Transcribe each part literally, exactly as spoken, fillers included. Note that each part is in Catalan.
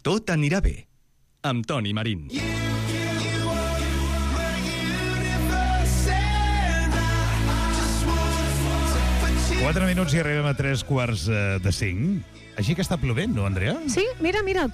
Tot anirà bé, amb Toni Marín. Quatre minuts i arribem a tres quarts de cinc. Així que està plovent, no, Andrea? Sí, mira, mira,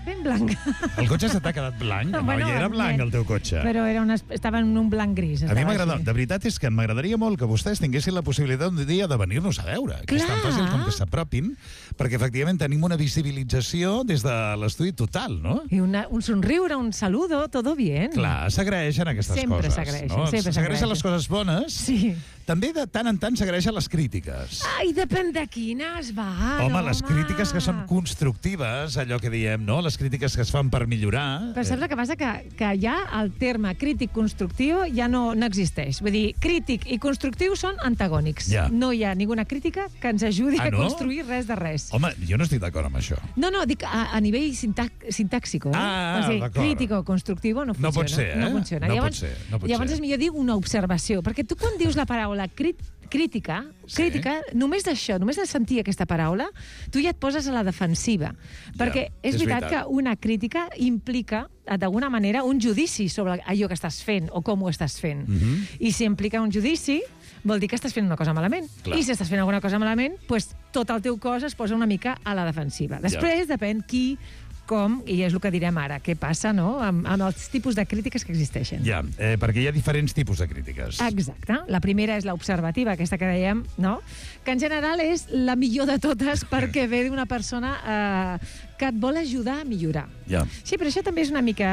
ben blanc. El cotxe se t'ha quedat blanc? No, Bueno, ja era blanc el teu cotxe. Però era una, estava en un blanc gris. A mi m'agrada, de veritat és que m'agradaria molt que vostès tinguessin la possibilitat un dia de venir-nos a veure. Que és tan Clar. fàcil com que s'apropin, perquè efectivament tenim una visibilització des de l'estudi total, no? I una, un somriure, un saludo, todo bien. Clar, s'agraeixen aquestes Sempre coses. s'agraeixen, no? sempre S'agraeixen s'agraeixen. les coses bones. Sí. També de tant en tant s'agraeixen les crítiques. Ai, depèn de quines, va. Home, no, les crítiques que són constructives, allò que diem, no? Les crítiques que es fan per millorar. Però saps el que passa? Que, que ja el terme crític constructiu ja no, no existeix. Vull dir, crític i constructiu són antagònics. Ja. No hi ha ninguna crítica que ens ajudi Ah, a no? construir res de res. Home, jo no estic d'acord amb això. No, no, dic a, a nivell sintac, sintàxico. Eh? Ah, o sigui, d'acord. crítico constructiu no funciona. No pot ser, eh? No funciona. No llavors, pot ser, no pot llavors ser. és millor dir una observació, perquè tu quan dius la paraula crit, crítica, Sí. crítica, només d'això, només de sentir aquesta paraula, tu ja et poses a la defensiva. Perquè és, és veritat, veritat. que una crítica implica, d'alguna manera, un judici sobre allò que estàs fent o com ho estàs fent. Mhm. I si implica un judici, vol dir que estàs fent una cosa malament. Clar. I si estàs fent alguna cosa malament, pues, tot el teu cos es posa una mica a la defensiva. Després depèn qui, com, i és el que direm ara, què passa, no?, amb, amb els tipus de crítiques que existeixen. Ja, eh, perquè hi ha diferents tipus de crítiques. Exacte. La primera és l'observativa, aquesta que dèiem, no?, que en general és la millor de totes perquè ve d'una persona eh, que et vol ajudar a millorar. Ja. Sí, però això també és una mica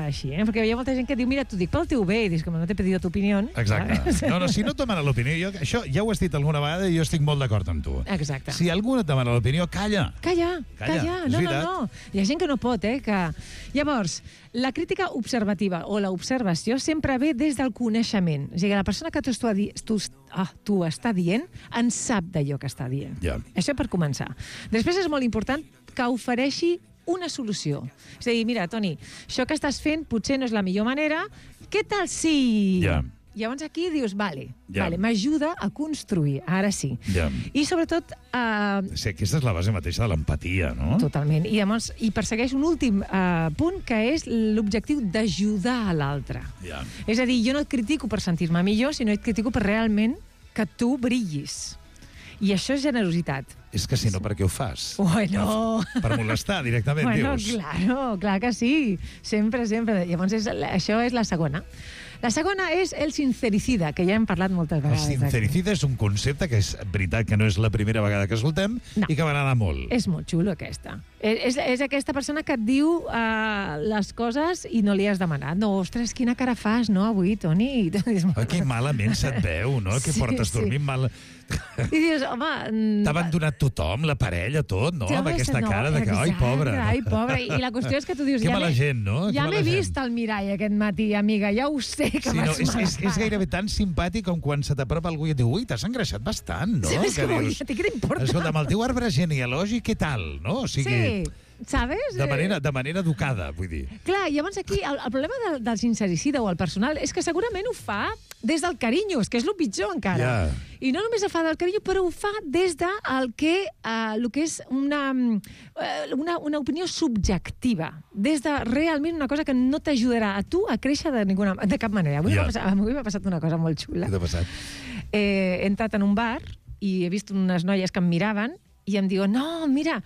així, eh? Perquè hi ha molta gent que diu, mira, t'ho dic pel teu bé, i dius, com no t'he pedido tu opinió. Exacte. No, no, si no et demana l'opinió, jo, això ja ho has dit alguna vegada i jo estic molt d'acord amb tu. Exacte. Si algú et demana l'opinió, calla. Calla, Calla, calla. és No, no, veritat. no. Hi ha gent que no pot, eh? Que... Llavors, la crítica observativa o l'observació sempre ve des del coneixement. És a dir, la persona que tu, està di... tu, ah, tu està dient en sap d'allò que està dient. Ja. Això per començar. Després és molt important que ofereixi una solució. És a dir, mira, Toni, això que estàs fent potser no és la millor manera, què tal si... Ja. Llavors aquí dius, vale, Ja. vale, m'ajuda a construir, ara sí. Ja. I sobretot... Eh, Sí, aquesta és la base mateixa de l'empatia, no? Totalment. I llavors i persegueix un últim eh, punt, que és l'objectiu d'ajudar a l'altre. Ja. És a dir, jo no et critico per sentir-me millor, sinó et critico per realment que tu brillis. I això és generositat. És que si no, per què ho fas? Bueno... Per, per molestar, directament, Bueno, dius. claro, clar que sí. Sempre, sempre. Llavors, és, això és la segona. La segona és el sincericida, que ja hem parlat moltes El vegades. aquí. sincericida és un concepte que és veritat que no és la primera vegada que escoltem No. i que m'agrada molt. És molt xulo, aquesta. És, és, és aquesta persona que et diu uh, les coses i no li has demanat. No, ostres, quina cara fas, no, avui, Toni? I tu dius, Oh, que malament se't veu, no? Que Sí, portes sí. dormint mal... I dius, home... mm, T'ha abandonat tothom, la parella, tot, no? ja Amb ves, aquesta no, cara de que, ai, exacte, pobra. Ai, pobra. I la qüestió és que tu dius... Que ja mala m'he- gent, no? Que Ja mala m'he gent. vist al mirall aquest matí, amiga, ja ho sé que Sí, no, vaig és, mala és, és cara. gairebé tan simpàtic com quan se t'apropa algú i et diu ui, t'has engreixat bastant, no? Sí, és Que com, dius, a ti què t'importa? escolta, amb el teu arbre genealògic, què tal? No? O sigui, Sí, sabes? de manera, de manera educada, vull dir. Clar, llavors aquí el, el problema del, del sincericida o el personal és que segurament ho fa des del carinyo, és que és el pitjor encara. Ja. I no només ho fa del carinyo, però ho fa des de el que, uh, el que és una, uh, una, una opinió subjectiva, des de realment una cosa que no t'ajudarà a tu a créixer de, ninguna, de cap manera. Avui Ja. m'ha passat, avui m'ha passat una cosa molt xula. Què t'ha passat? Eh, he entrat en un bar i he vist unes noies que em miraven i em diuen, no, mira,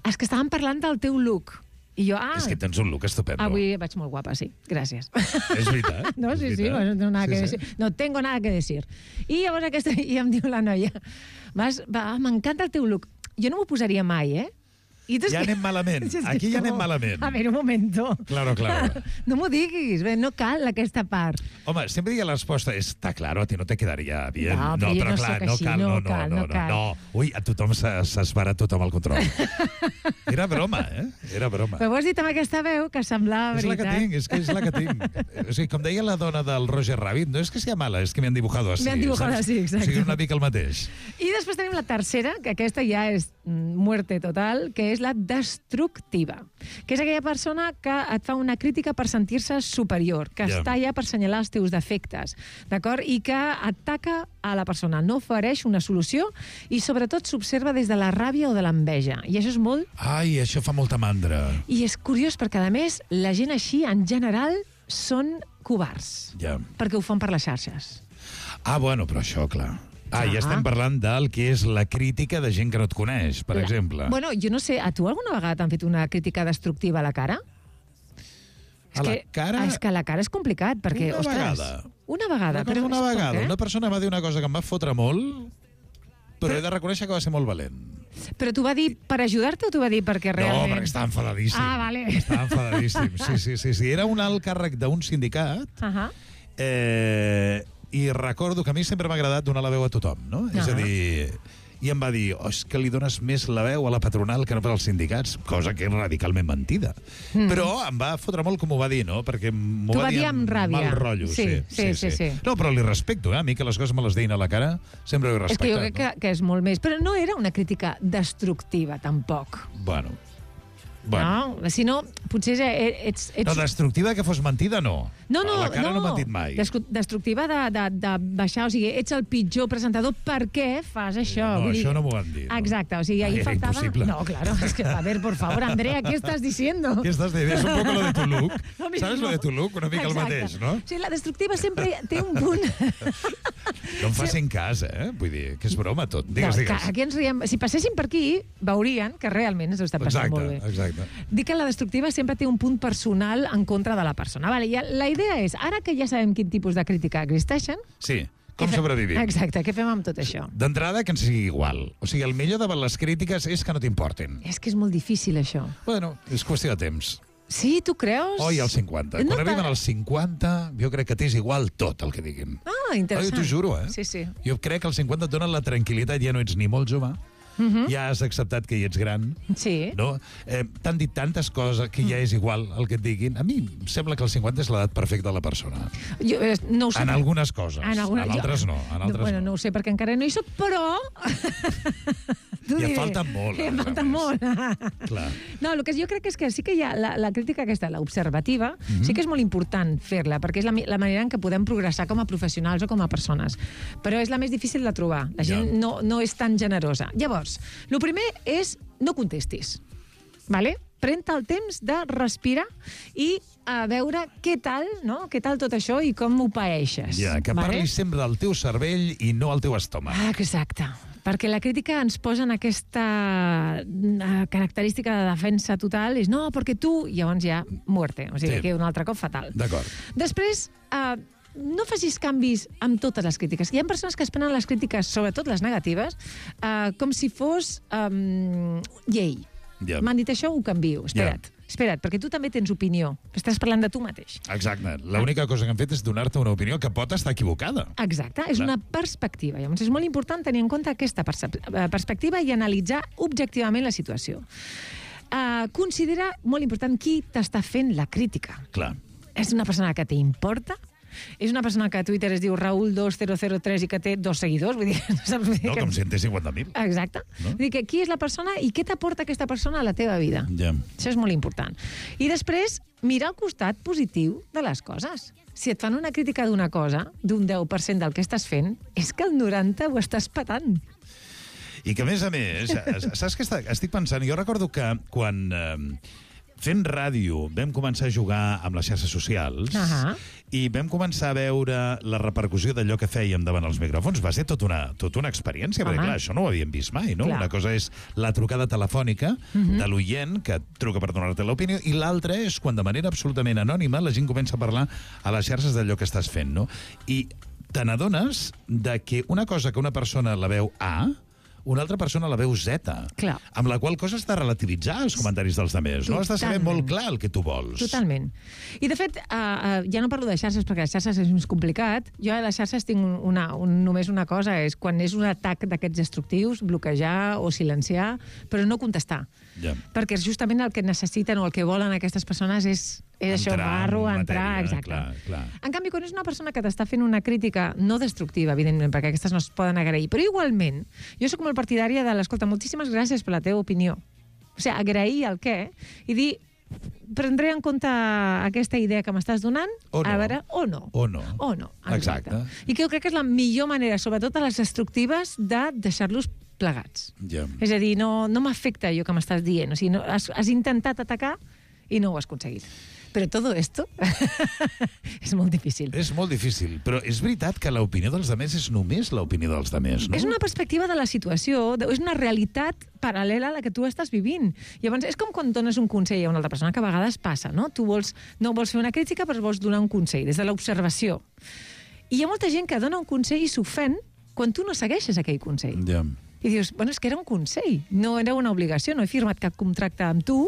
és que estàvem parlant del teu look. I jo, ah, És que tens un look estupendo. avui vaig molt guapa, sí, gràcies. És veritat. No, és sí, sí, veritat. bueno, no, tengo nada Sí, que sí. decir. No tengo nada que decir. I llavors aquesta, i em diu la noia, vas, va, m'encanta el teu look. Jo no m'ho posaria mai, eh? I tu és Ja que- anem malament. Sí, és que Aquí ja no. anem malament. A veure, un momento. Claro, claro. No m'ho diguis, bé, no cal aquesta part. Home, sempre digue la resposta, està claro, a ti no te quedaria bien. No, però jo no clar, sóc no així, cal, no no, no, cal, no, no no, cal. no. Ui, a tothom s'esvara tothom al control. Era broma, eh? Era broma. Però ho has dit amb aquesta veu que semblava És la que veritat. tinc, és que és la que tinc. O sigui, com deia la dona del Roger Rabbit, no és que sea mala, és que me han dibujado así. Me han dibujado saps? así, exacte. O sigui, una mica el mateix. I després tenim la tercera, que aquesta ja és mm, muerte total, que és la destructiva, que és aquella persona que et fa una crítica per sentir-se superior, que Ja. està allà per assenyalar els teus defectes, d'acord? I que ataca a la persona, no ofereix una solució i sobretot s'observa des de la ràbia o de l'enveja. I això és molt... Ai, això fa molta mandra. I és curiós perquè, a més, la gent així, en general, són covards, Ja. perquè ho fan per les xarxes. Ah, bueno, però això, clar. Ah, ja Ah. estem parlant del que és la crítica de gent que no et coneix, per La- exemple. Bueno, jo no sé, a tu alguna vegada t'han fet una crítica destructiva a la cara? A la cara? És que a la cara és complicat, perquè, Una ostres... vegada. Una vegada. Recordo però una és per vegada, què? una persona va dir una cosa que em va fotre molt, però he de reconèixer que va ser molt valent. Però t'ho va dir per ajudar-te o t'ho va dir perquè realment... No, perquè estava enfadadíssim. Ah, vale. Estava enfadadíssim, sí, sí, sí. sí. Era un alt càrrec d'un sindicat, Ahà. eh, i recordo que a mi sempre m'ha agradat donar la veu a tothom, no? És a Ah. dir, i em va dir, oh, és que li dones més la veu a la patronal que no per als sindicats, cosa que és radicalment mentida. Mm. Però em va fotre molt com ho va dir, no? Perquè m'ho T'ho va va dir dir amb ràbia. mal rotllo. Sí, sí, sí, sí. No, però li respecto, eh? A mi que les coses me les deien a la cara, sempre ho he És respectat. que jo crec que, que és molt més. Però no era una crítica destructiva, tampoc. No? Bueno, bueno. No? Si no, potser ets... ets... No, destructiva que fos mentida, no. No, no, a la cara no, no. no m'han dit mai. Descu- Destructiva de, de, de baixar, o sigui, ets el pitjor presentador, per què fas això? No, Vull dir- això no m'ho han dit. No. Exacte, o sigui, Ai, ahí era faltava... impossible. No, claro, es que, a ver, por favor, Andrea, ¿qué estás diciendo? ¿Qué estás diciendo? Es un poco lo de tu look. Lo mismo. ¿Sabes lo de tu look? Una mica el Exacte. mateix, no? O sigui, la destructiva sempre té un punt... No em facin cas, eh? Vull dir, que és broma tot. Digues, No, que digues. aquí ens riem. Si passessin per aquí, veurien que realment ens ho està passant Exacte, molt bé. exacte. Dic que la destructiva sempre té un punt personal en contra de la persona. Vale, i la idea és, ara que ja sabem quin tipus de crítica existeixen... Sí, com què fe- sobrevivim? Exacte, què fem amb tot això? D'entrada, que ens sigui igual. O sigui, el millor davant les crítiques és que no t'importin. És que és molt difícil, això. Bueno, és qüestió de temps. Sí, tu creus? Oi, als cinquanta. No Quan arriben tant. als cinquanta, jo crec que t'és igual tot el que diguin. Ah, Oi, interessant. t'ho juro, eh? Sí, sí. Jo crec que als cinquanta et donen la tranquil·litat, ja no ets ni molt jove, Uh -huh. ja has acceptat que hi ets gran, Sí. no? Eh, T'han dit tantes coses que ja és igual el que et diguin. A mi em sembla que els cinquanta és l'edat perfecta de la persona. Jo, eh, no ho sé. En algunes coses. En, alguna... En altres no. En altres bueno, no. no ho sé, perquè encara no hi soc, però... T'ho I et diré. falta molt, I em a falta més. molt. Clar. No, el que jo crec és que sí que hi ha la, la crítica aquesta, l'observativa, mm Mhm. -hmm. sí que és molt important fer-la, perquè és la, mi- la manera en què podem progressar com a professionals o com a persones. Però és la més difícil de trobar. La gent Ja. no, no és tan generosa. Llavors, el primer és no contestis. Vale? Pren-te el temps de respirar i a veure què tal, no? Què tal tot això i com ho paeixes. Ja, que vale? parlis sempre del teu cervell i no al teu estómac. Ah, exacte. Perquè la crítica ens posa en aquesta eh, característica de defensa total, és no, perquè tu, i llavors ja muerte, o sigui, Sí. que un altre cop fatal. D'acord. Després, eh, no facis canvis amb totes les crítiques. Hi ha persones que es prenen les crítiques, sobretot les negatives, eh, com si fos eh, llei. Ja. M'han dit això, ho canvio. Espera't, espera't, perquè tu també tens opinió. Estàs parlant de tu mateix. Exacte. L'única cosa que han fet és donar-te una opinió que pot estar equivocada. Exacte, és Clar. una perspectiva. Llavors és molt important tenir en compte aquesta percep- eh, perspectiva i analitzar objectivament la situació. Uh, considera molt important qui t'està fent la crítica. Clar. És una persona que t'importa? És una persona que a Twitter es diu Raül dos mil tres i que té dos seguidors? Vull dir, no saps? Vull dir No, que... com si en té cinquanta mil. Exacte. No? Vull dir que qui és la persona i què t'aporta aquesta persona a la teva vida? Ja. Això és molt important. I després, mirar el costat positiu de les coses. Si et fan una crítica d'una cosa, d'un deu per cent del que estàs fent, és que el noranta ho estàs patant. I que, a més a més, saps què està- estic pensant? Jo recordo que quan eh, fent ràdio vam començar a jugar amb les xarxes socials Ahà. i vam començar a veure la repercussió d'allò que fèiem davant els micròfons. Va ser tot una, tot una experiència, perquè Home. clar, això no ho havíem vist mai, no? Clar. Una cosa és la trucada telefònica de l'oient que et truca per donar-te l'opinió i l'altra és quan de manera absolutament anònima la gent comença a parlar a les xarxes d'allò que estàs fent, no? I te n'adones de que una cosa que una persona la veu A, una altra persona la veu Z, Clar. amb la qual cosa està relativitzar els comentaris dels altres. No? Has de saber Totalment. molt clar el que tu vols. Totalment. I, de fet, uh, uh, ja no parlo de xarxes, perquè les xarxes és més complicat. Jo a les xarxes tinc un- una, un, només una cosa, és quan és un atac d'aquests destructius, bloquejar o silenciar, però no contestar. Ja. Perquè justament el que necessiten o el que volen aquestes persones és, és això, Entrar barro, en entrar, matèria, exacte. clar, clar. En canvi, quan és una persona que t'està fent una crítica no destructiva, evidentment, perquè aquestes no es poden agrair, però igualment, jo sóc molt partidària de l'escolta, moltíssimes gràcies per la teva opinió. O sigui, agrair el què i dir, prendré en compte aquesta idea que m'estàs donant, o no. a veure, o no. O no. O no, exacte. Exacte. I que jo crec que és la millor manera, sobretot a les destructives, de deixar-los plegats. Ja. És a dir, no, no m'afecta allò que m'estàs dient. O sigui, no, has, has intentat atacar i no ho has aconseguit. Però tot esto és molt difícil. És molt difícil, però és veritat que l'opinió dels altres és només l'opinió dels altres, no? És una perspectiva de la situació, és una realitat paral·lela a la que tu estàs vivint. Llavors, és com quan dones un consell a una altra persona, que a vegades passa, no? Tu vols, no vols fer una crítica, però vols donar un consell, des de l'observació. I hi ha molta gent que dona un consell i s'ofèn quan tu no segueixes aquell consell. Ja. I dius, bueno, és que era un consell, no era una obligació, no he firmat cap contracte amb tu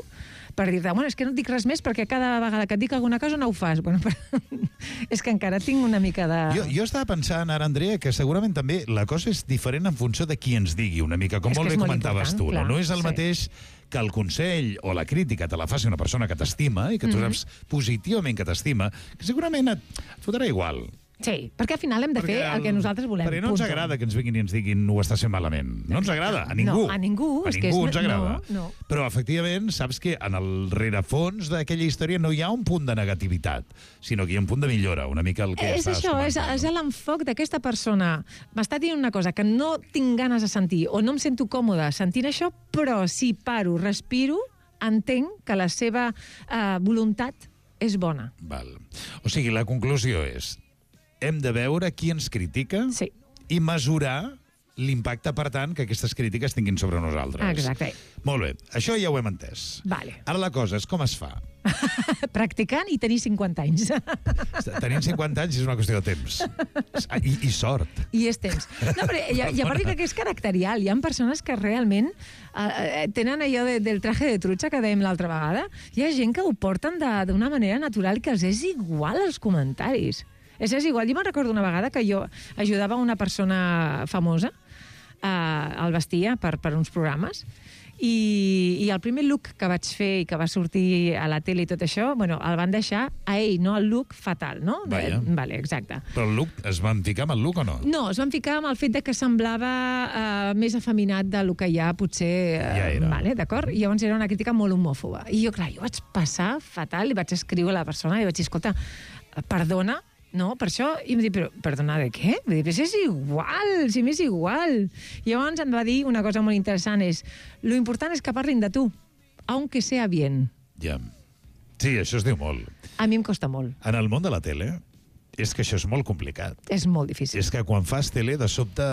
per dir-te, bueno, és que no et dic res més perquè cada vegada que et dic alguna cosa no ho fas. Bueno, però és que encara tinc una mica de... Jo, jo estava pensant ara, Andrea, que segurament també la cosa és diferent en funció de qui ens digui una mica, com És que molt bé és molt comentaves tu. important, No? clar, no és el sí. mateix que el consell o la crítica te la faci una persona que t'estima i que tu Mhm. saps positivament que t'estima, que segurament et, et fotrà igual. Sí, perquè al final hem de fer el que nosaltres volem. Perquè no ens punto. agrada que ens vinguin i ens diguin ho estàs fent malament. No ens agrada, a ningú. No, a ningú, A és que ningú és- ens agrada. no, no. Però, efectivament, saps que en el rerefons d'aquella història no hi ha un punt de negativitat, sinó que hi ha un punt de millora, una mica el que És estàs això, és, comentant, és no? l'enfoc d'aquesta persona. M'està dient una cosa que no tinc ganes de sentir o no em sento còmode sentint això, però si paro, respiro, entenc que la seva eh, voluntat és bona. Val. O sigui, la conclusió és hem de veure qui ens critica Sí. i mesurar l'impacte, per tant, que aquestes crítiques tinguin sobre nosaltres. Exacte. Molt bé, això ja ho hem entès. Vale. Ara la cosa és com es fa. Practicant i tenir cinquanta anys. Tenint cinquanta anys és una qüestió de temps. I, i sort. I és temps. No, però hi ha, hi ha part que és caracterial. Hi ha persones que realment eh, tenen allò de, del traje de trutxa que dèiem l'altra vegada. Hi ha gent que ho porten de- d'una manera natural que els és igual els comentaris. És, és igual. Jo me'n recordo una vegada que jo ajudava una persona famosa, eh, el vestia per, per uns programes, i, i el primer look que vaig fer i que va sortir a la tele i tot això, bueno, el van deixar a ell, no el look fatal, no? Vaja. De, vale, exacte. Però el look, es van ficar amb el look o no? No, es van ficar amb el fet de que semblava uh, més afeminat del que ja potser... Uh, Ja era. Vale, d'acord? I llavors era una crítica molt homòfoba. I jo, clar, jo vaig passar fatal i vaig escriure a la persona i vaig dir, escolta, perdona, no, per això, i em va dir, però, perdona, de què? Vull dir, però si és igual, si m'és igual. I llavors em va dir una cosa molt interessant, és, lo important és que parlin de tu, aunque sea bien. Ja. Sí, això es diu molt. A mi em costa molt, En el món de la tele, és que això és molt complicat. és molt difícil. És que quan fas tele, de sobte,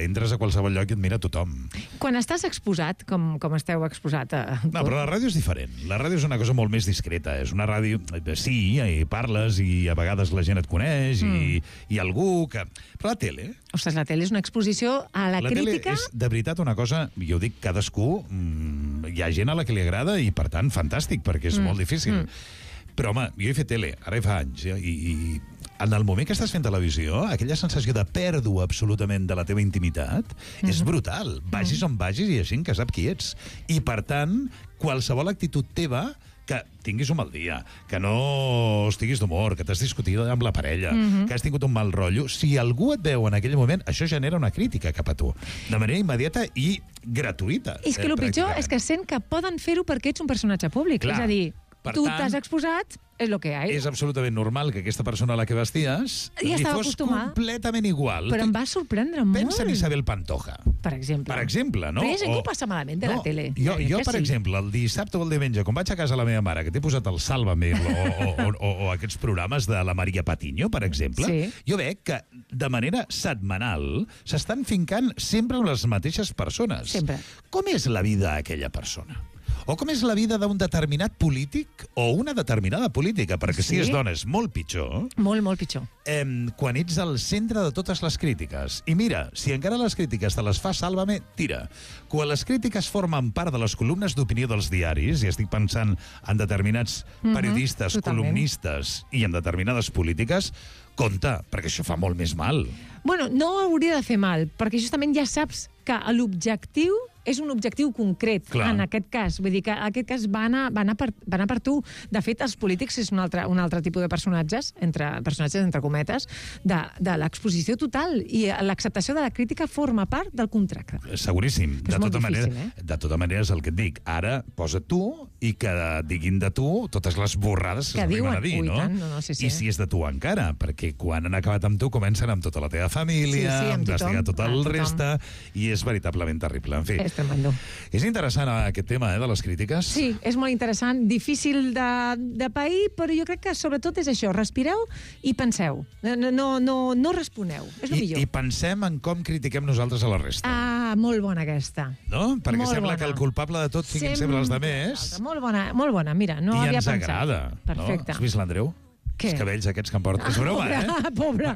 entres a qualsevol lloc i et mira tothom. Quan estàs exposat, com, com esteu exposat a... No, però la ràdio és diferent. La ràdio és una cosa molt més discreta. És una ràdio... Sí, i parles i a vegades la gent et coneix mm. i, i algú que... Però la tele... Ostres, la tele és una exposició a la, La crítica... tele és, de veritat, una cosa... Jo dic, cadascú... Mm, hi ha gent a la que li agrada i, per tant, fantàstic, perquè és Mm, molt difícil. mm. Però, home, jo he fet tele, ara fa anys, ja, i, i en el moment que estàs fent televisió, aquella sensació de pèrdua absolutament de la teva intimitat mm-hmm. és brutal. Vagis on vagis i hi ha gent que sap qui ets. I, per tant, qualsevol actitud teva que tinguis un mal dia, que no estiguis d'humor, que t'has discutit amb la parella, Mhm. que has tingut un mal rotllo, si algú et veu en aquell moment, això genera una crítica cap a tu, de manera immediata i gratuïta. És que eh, el pitjor pràcticament. és que sent que poden fer-ho perquè ets un personatge públic. Clar. És a dir, Per tu tant, t'has exposat, és el que hi ha. És absolutament normal que aquesta persona a la que vesties Ja li estava fos acostumada. completament igual. Però em va sorprendre molt. Pensa en Isabel Pantoja, Per exemple. per exemple, no? Però hi ha gent que O- ho passa malament de la tele. Jo, Ja dic jo que per sí. exemple, el dissabte o el diumenge, quan vaig a casa de la meva mare, que t'he posat el Sálvame o, o, o, o, o aquests programes de la Maria Patiño, per exemple, Sí. jo veig que de manera setmanal s'estan fincant sempre amb les mateixes persones. Sempre. Com és la vida d'aquella persona? O com és la vida d'un determinat polític o una determinada política? Perquè si Sí. és dona és molt pitjor. Molt, molt pitjor. Eh, quan ets al centre de totes les crítiques. I mira, si encara les crítiques te les fa Sálvame, tira. Quan les crítiques formen part de les columnes d'opinió dels diaris, i estic pensant en determinats Mhm, periodistes, totalment. columnistes i en determinades polítiques, compte, perquè això fa molt més mal. Bueno, no hauria de fer mal, perquè justament ja saps que l'objectiu és un objectiu concret. Clar. En aquest cas. Vull dir que en aquest cas va anar, va anar, per, va anar per tu. De fet, els polítics és un altre, un altre tipus de personatges, entre personatges entre cometes, de, de l'exposició total. I l'acceptació de la crítica forma part del contracte. Seguríssim. És De molt tota, difícil, manera, eh? de tota manera és el que et dic. Ara posa tu i que diguin de tu totes les borrades que, Que s'arriben diuen. a dir, Ui, no? tant, no, no, sí, sí. I si és de tu encara, perquè quan han acabat amb tu comencen amb tota la teva família, Sí, sí, amb investigar tothom, tot el amb tothom. reste, i és veritablement terrible. En fi, És tremendo. és interessant eh, aquest tema eh, de les crítiques. Sí, és molt interessant, difícil de, de pair, però jo crec que sobretot és això, respireu i penseu. No, no, no, no responeu, és el I, millor. I pensem en com critiquem nosaltres a la resta. Ah, molt bona aquesta. No? Perquè molt sembla bona. que el culpable de tot siguin sempre els demés. Molt bona, molt bona, mira, no I havia ens pensat. agrada. Perfecte. No? Has vist l'Andreu? Què? Els cabells aquests que em porta. És broma, pobre, eh? Pobre.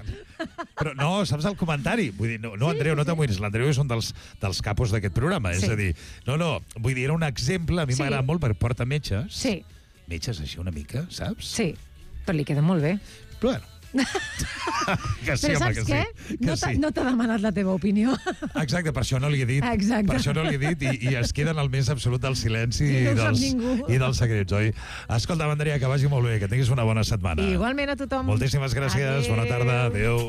Però no, saps el comentari? Vull dir, no, no Andreu, no t'amoïnis. L'Andreu és un dels, dels capos d'aquest programa. Sí. És a dir, no, no, vull dir, era un exemple. A mi Sí. m'agrada molt perquè porta metges. Sí, Metges així una mica, saps? sí, però li queda molt bé. Però bueno. que sí, Però home, saps que què? sí. Que No t'ha sí. no t'ha demanat la teva opinió. Exacte, per això no li he dit. Exacte. Per això no li he dit i, i es queda en el més absolut del silenci I no ho sap dels, ningú. i dels secrets, oi? Escolta, Andrea, que vagi molt bé, que tinguis una bona setmana. Igualment a tothom. Moltíssimes gràcies, Adéu. bona tarda, adéu.